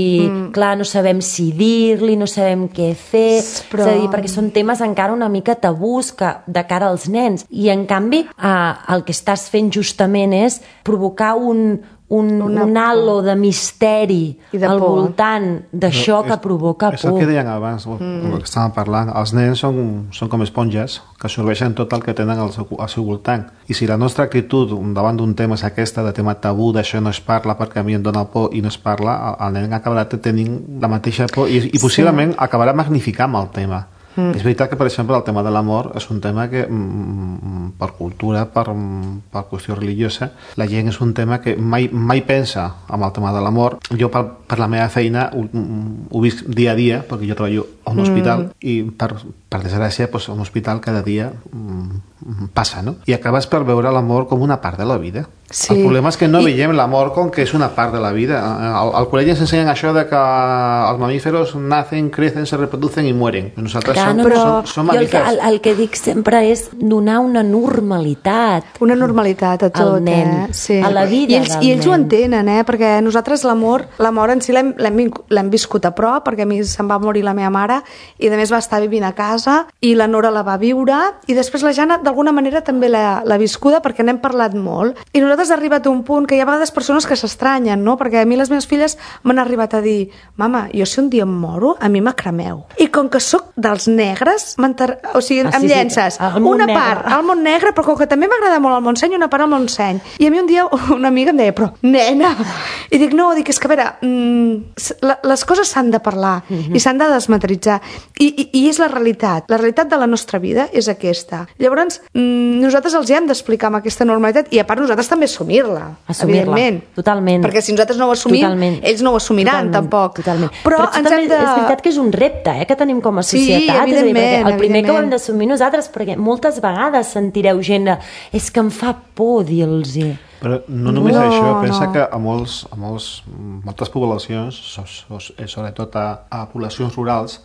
clar, no sabem si dir-li, no sabem què fer, és a dir, perquè són temes encara una mica tabús de cara als nens, i en canvi el que estàs fent justament és provocar un halo de misteri al voltant d'això que provoca por. És el que deien abans, el que estàvem parlant. Els nens són com esponges que absorbeixen tot el que tenen al seu voltant. I si la nostra actitud davant d'un tema és aquesta, de tema tabú, d'això no es parla perquè a mi em dona por i no es parla, el nen acabarà tenint la mateixa por i possiblement acabarà magnificant el tema. És veritat que, per exemple, el tema de l'amor és un tema que, per cultura, per qüestió religiosa, la gent és un tema que mai pensa en el tema de l'amor. Jo, per la meva feina, ho visc dia a dia, perquè jo treballo a un hospital, i per desgràcia, a un hospital cada dia passa, no? I acabes per veure l'amor com una part de la vida. Sí. El problema és que no veiem l'amor com que és una part de la vida. Al col·legi ens ensenyen això de que els mamíferos nacen, crecen, se reproducen i mueren. Nosaltres som mamífers. El que dic sempre és donar una normalitat. Una normalitat a tot, al nen, Sí. a la vida del I ells ho nen. entenen, perquè nosaltres l'amor en si l'hem viscut a prop, perquè a mi se'm va morir la meva mare i a més va estar vivint a casa i la Nora la va viure i després la Jana d'alguna manera també l'ha viscuda perquè n'hem parlat molt. I nosaltres ha arribat a un punt que hi ha a vegades persones que s'estranyen, no? Perquè a mi les meves filles m'han arribat a dir mama, jo si un dia em moro, a mi m'acremeu. I com que sóc dels negres, em llences una part al món negre, però com que també m'agrada molt el Montseny, una part al Montseny. I a mi un dia una amiga em deia, però nena, i dic, no, és que a veure, les coses s'han de parlar i s'han de desmateritzar i és la realitat de la nostra vida és aquesta. Llavors nosaltres els hi hem d'explicar amb aquesta normalitat i a part nosaltres també assumir-la, evidentment. Totalment. Perquè si nosaltres no ho assumim, ells no ho assumiran tampoc. Totalment. Però ens hem de... és veritat que és un repte que tenim com a societat. Sí, evidentment. El primer que ho hem d'assumir nosaltres, perquè moltes vegades sentireu gent és que em fa por dir-los-hi. Però no només això, pensa que a moltes poblacions, sobretot a poblacions rurals,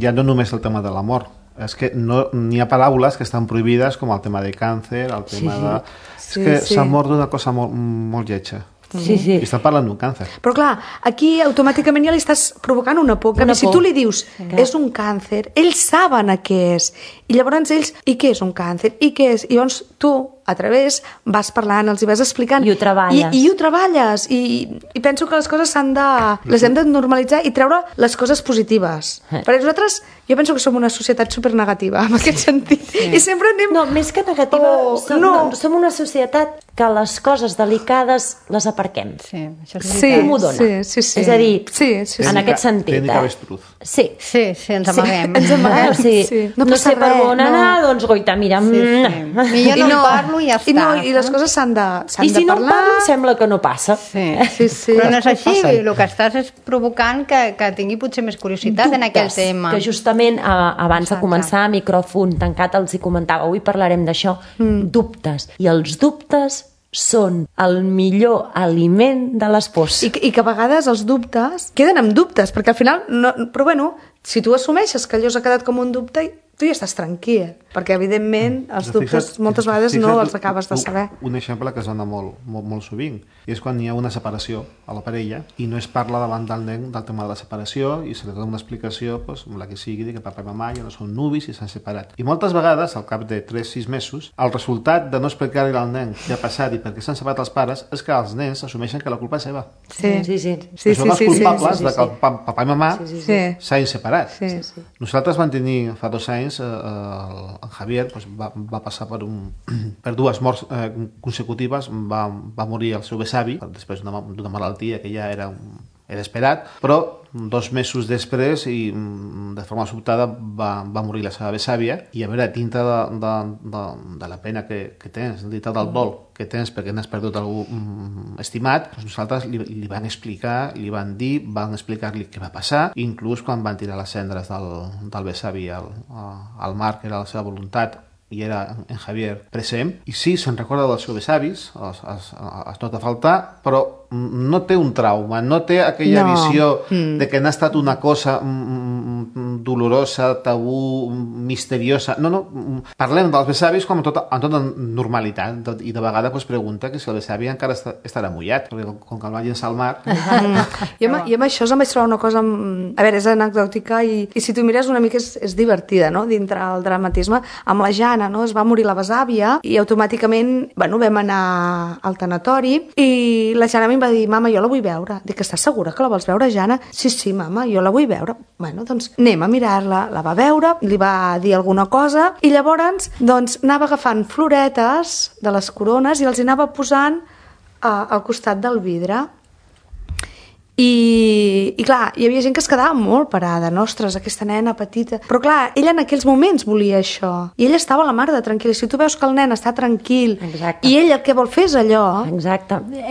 ja no només el tema de la mort, és que n'hi ha paraules que estan prohibides com el tema de càncer, el tema de... És que s'ha mort d'una cosa molt lletja. Sí. I estan parlant d'un càncer. Però clar, aquí automàticament ja li estàs provocant una por. Si tu li dius, és un càncer, ells saben què és. I llavors ells, i què és un càncer? I què és? I llavors tu, a través, vas parlant, els hi vas explicant. I ho treballes. I ho treballes. I penso que les coses les hem de normalitzar i treure les coses positives. Perquè nosaltres, jo penso que som una societat supernegativa, en aquest sentit. I sempre anem... No, més que negativa, som una societat que les coses delicades les aparquem. Sí, això és veritat. Com ho dona? Sí. És a dir, en aquest sentit. Tècnica avestruz. Sí, ens amaguem. Ens amaguem, sí. No sé per on anar, doncs goita, mira. Millor no parlo i ja està. I les coses s'han de parlar. I si no parlo, sembla que no passa. Sí. Però no és així, el que estàs és provocant que tingui potser més curiositat en aquell tema. Que justament abans de començar, micròfon tancat, els hi comentava, avui parlarem d'això, dubtes. I els dubtes són el millor aliment de les pors. I que a vegades els dubtes queden amb dubtes, perquè al final... Però bueno, si tu assumeixes que allò s'ha quedat com un dubte, tu ja estàs tranquil, perquè evidentment els dubtes moltes vegades no els acabes de saber. Un exemple que es dona molt sovint és quan hi ha una separació a la parella i no es parla davant del nen del tema de la separació i se li dona una explicació, la que sigui, que papa i mamà ja no són nuvis i s'han separat. I moltes vegades, al cap de 3-6 mesos, el resultat de no explicar-li al nen què ha passat i per què s'han separat els pares és que els nens assumeixen que la culpa és seva. Sí. Són els culpables de que el papa i mamà s'hagin separat. Nosaltres vam tenir fa 2 anys en Javier va passar per 2 morts consecutives, va morir el seu besavi després d'una malaltia que ja era esperat, però 2 mesos després i de forma sobtada va morir la seva besàvia i a veure, dintre de la pena que tens, dintre del dol que tens perquè n'has perdut algú estimat, nosaltres li van explicar, li van dir, van explicar-li què va passar, inclús quan van tirar les cendres del besavi al mar, que era la seva voluntat, i era en Javier present, i sí, se'n recorda dels seus besavis, es nota faltar, però no té un trauma, no té aquella visió de que n'ha estat una cosa dolorosa, tabú, misteriosa. No, parlem dels besavis com amb tota normalitat, i de vegades es pregunta que si el besavi encara estarà mullat, perquè com que el va llençar al mar... I amb això em vaig trobar una cosa... A veure, és anecdòtica i si tu mires una mica és divertida, no?, dintre el dramatisme. Amb la Jana, no?, es va morir la besàvia i automàticament, vam anar al tanatori i la Jana em va dir, mama, jo la vull veure. Dic, estàs segura que la vols veure, Jana? Sí, mama, jo la vull veure. Bueno, doncs anem a mirar-la. La va veure, li va dir alguna cosa i llavors doncs anava agafant floretes de les corones i els anava posant al costat del vidre. I clar, hi havia gent que es quedava molt parada, ostres, aquesta nena petita, però clar, ella en aquells moments volia això, i ella estava a la mar de tranquil·la. Si tu veus que el nen està tranquil, i ell el que vol fer és allò,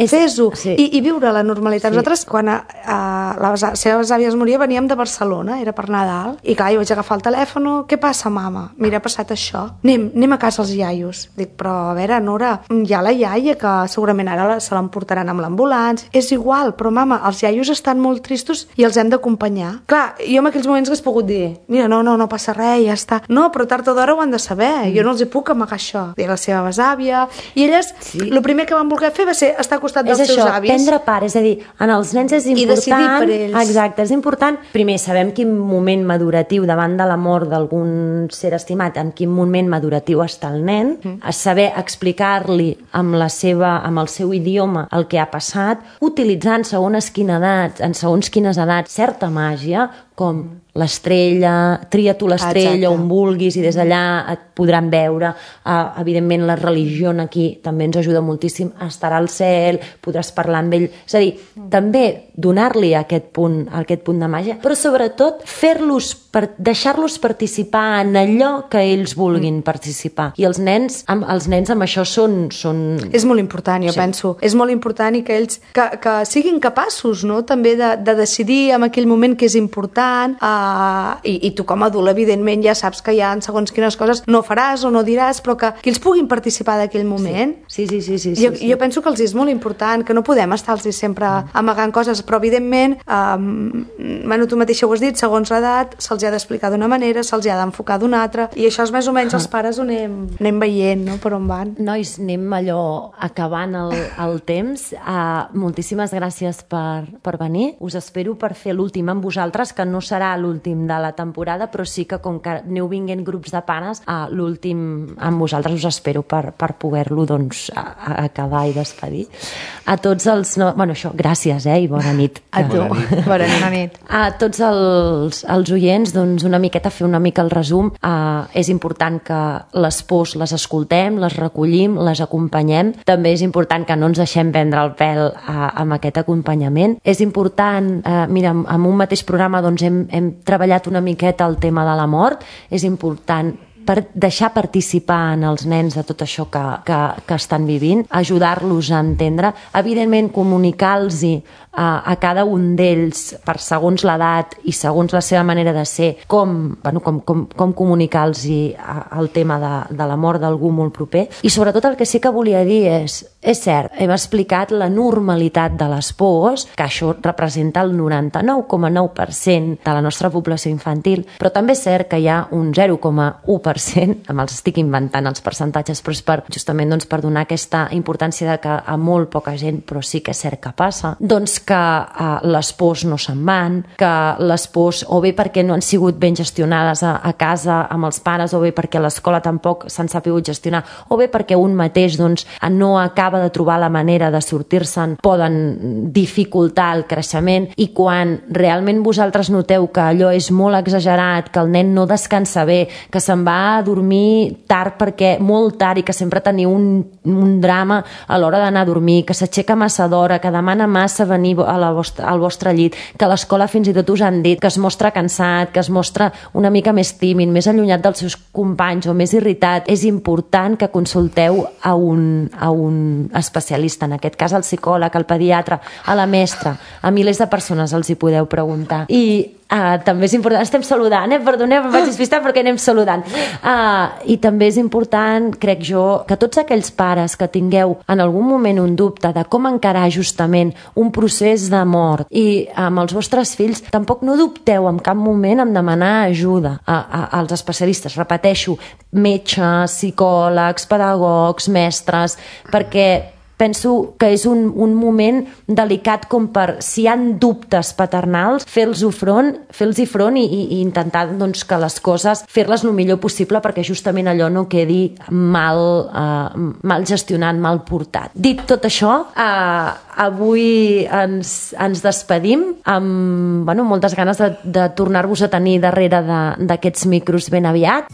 fes-ho, i viure la normalitat. Nosaltres, quan les seves àvies moria, veníem de Barcelona, era per Nadal, i clar, jo vaig agafar el telèfon, què passa, mama? Mira, ha passat això, anem a casa els iaios. Dic, però a veure, Nora, hi ha la iaia que segurament ara se l'emportaran amb l'ambulància, és igual, però mama, els iaios estan molt tristos i els hem d'acompanyar. Clar, jo en aquells moments hagués pogut dir, mira, no passa res, ja està. No, però tard o d'hora ho han de saber, jo no els hi puc amagar això. I la seva besàvia, i elles, el primer que van voler fer va ser estar al costat dels seus avis. És això, prendre part, és a dir, en els nens és important... I decidir per ells. Exacte, és important. Primer, sabem quin moment maduratiu davant de la mort d'algun ser estimat, en quin moment maduratiu està el nen, a saber explicar-li amb el seu idioma el que ha passat, utilitzant segons quines edats, certa màgia, com l'estrella, tria tu l'estrella on vulguis i des d'allà et podran veure. Evidentment la religió aquí també ens ajuda moltíssim, estarà al cel, podràs parlar amb ell, és a dir, també donar-li aquest punt de màgia, però sobretot deixar-los participar en allò que ells vulguin participar. I els nens amb això són... És molt important, jo penso. És molt important i que ells que siguin capaços, no?, també de decidir en aquell moment que és important, i tu com a adult evidentment ja saps que hi ha segons quines coses no faràs o no diràs, però que ells puguin participar d'aquell moment. Sí. Jo penso que els és molt important, que no podem estar-los sempre amagant coses, però evidentment tu mateixa ho has dit, segons l'edat se'ls ha d'explicar d'una manera, se'ls ha d'enfocar d'una altra, i això és més o menys els pares ho anem veient, no?, per on van. Nois, anem allò acabant el temps. Moltíssimes gràcies per venir. Us espero per fer l'últim amb vosaltres, que no serà l'últim de la temporada, però sí que com que aneu vinguent grups de pares, l'últim amb vosaltres us espero per poder-lo acabar i despedir. A tots els... Bueno, això, gràcies, i bona nit. A tu. Bona nit. A tots els oients, doncs una miqueta fer una mica el resum. És important que les pors les escoltem, les recollim, les acompanyem. També és important que no ens deixem prendre el pèl amb aquest acompanyament. És important, mira, en un mateix programa hem treballat una miqueta el tema de la mort. És important per deixar participar en els nens de tot això que estan vivint, ajudar-los a entendre, evidentment comunicar-los a cada un d'ells per segons l'edat i segons la seva manera de ser, com comunicar-los el tema de la mort d'algú molt proper. I sobretot el que sí que volia dir és cert, hem explicat la normalitat de les pors, que això representa el 99,9% de la nostra població infantil, però també és cert que hi ha un 0,1%, me'ls estic inventant els percentatges, però és justament per donar aquesta importància de que a molt poca gent, però sí que és cert que passa, doncs que les pors no se'n van, que les pors o bé perquè no han sigut ben gestionades a casa amb els pares, o bé perquè a l'escola tampoc s'han sabut gestionar, o bé perquè un mateix no acaba de trobar la manera de sortir-se'n, poden dificultar el creixement. I quan realment vosaltres noteu que allò és molt exagerat, que el nen no descansa bé, que se'n va a dormir tard perquè molt tard i que sempre teniu un drama a l'hora d'anar a dormir, que s'aixeca massa d'hora, que demana massa venir al vostre llit, que a l'escola fins i tot us han dit que es mostra cansat, que es mostra una mica més tímid, més allunyat dels seus companys o més irritat, és important que consulteu a un especialista, en aquest cas al psicòleg, al pediatre, a la mestra, a milers de persones els hi podeu preguntar. I també és important, estem saludant, perdoneu, em vaig despistar perquè anem saludant. I també és important, crec jo, que tots aquells pares que tingueu en algun moment un dubte de com encarar justament un procés de mort i amb els vostres fills, tampoc no dubteu en cap moment en demanar ajuda als especialistes, repeteixo, metges, psicòlegs, pedagogs, mestres, perquè penso que és un moment delicat com per, si hi ha dubtes paternals, fer-los front i intentar que les coses, fer-les el millor possible perquè justament allò no quedi mal gestionat, mal portat. Dit tot això, avui ens despedim amb moltes ganes de tornar-vos a tenir darrere d'aquests micros ben aviat.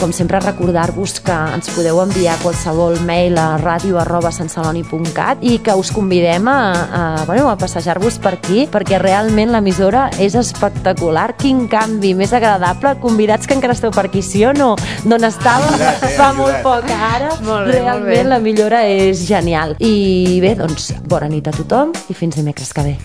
com sempre, recordar-vos que ens podeu enviar qualsevol mail a radio@santceloni.cat i que us convidem a passejar-vos per aquí, perquè realment l'emissora és espectacular. Quin canvi més agradable. Convidats que encara esteu per aquí, sí o no? D'on estava fa molt poc ara. Realment la millora és genial. I bé, doncs, bona nit a tothom i fins dimecres que ve.